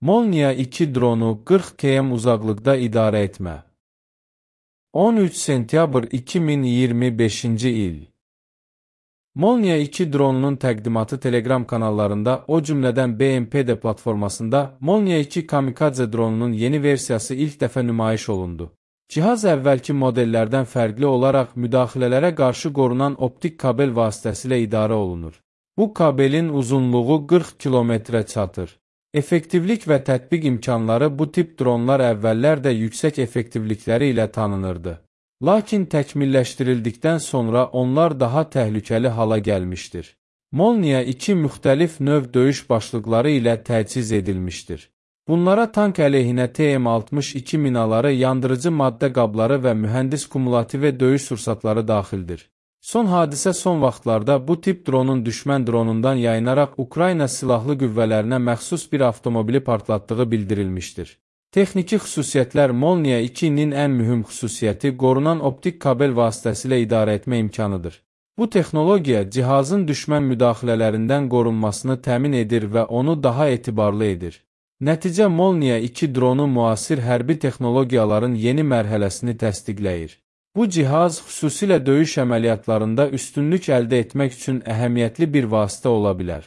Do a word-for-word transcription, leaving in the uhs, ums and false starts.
Molniya iki dronu qırx kilometr uzaqlıqda idarə etmə. on üç sentyabr iki min iyirmi beşinci il. Molniya iki dronunun təqdimatı Telegram kanallarında, o cümlədən B M P D platformasında Molniya iki Kamikadze dronunun yeni versiyası ilk dəfə nümayiş olundu. Cihaz əvvəlki modellərdən fərqli olaraq müdaxilələrə qarşı qorunan optik kabel vasitəsilə idarə olunur. Bu kabelin uzunluğu qırx kilometrə çatır. Effektivlik və tətbiq imkanları bu tip dronlar əvvəllər də yüksək effektivlikləri ilə tanınırdı. Lakin təkmilləşdirildikdən sonra onlar daha təhlükəli hala gəlmişdir. Molniya iki müxtəlif növ döyüş başlıqları ilə təchiz edilmişdir. Bunlara tank əleyhinə T M altmış iki minaları, yandırıcı maddə qabları və mühəndis kumulativə döyüş sursatları daxildir. Son hadisə son vaxtlarda bu tip dronun düşmən dronundan yayınaraq Ukrayna silahlı qüvvələrinə məxsus bir avtomobili partlatdığı bildirilmişdir. Texniki xüsusiyyətlər Molniya ikinin ən mühüm xüsusiyyəti qorunan optik kabel vasitəsilə idarə etmə imkanıdır. Bu texnologiya cihazın düşmən müdaxilələrindən qorunmasını təmin edir və onu daha etibarlı edir. Nəticə Molniya iki dronu müasir hərbi texnologiyaların yeni mərhələsini təsdiqləyir. Bu cihaz xüsusilə döyüş əməliyyatlarında üstünlük əldə etmək üçün əhəmiyyətli bir vasitə ola bilər.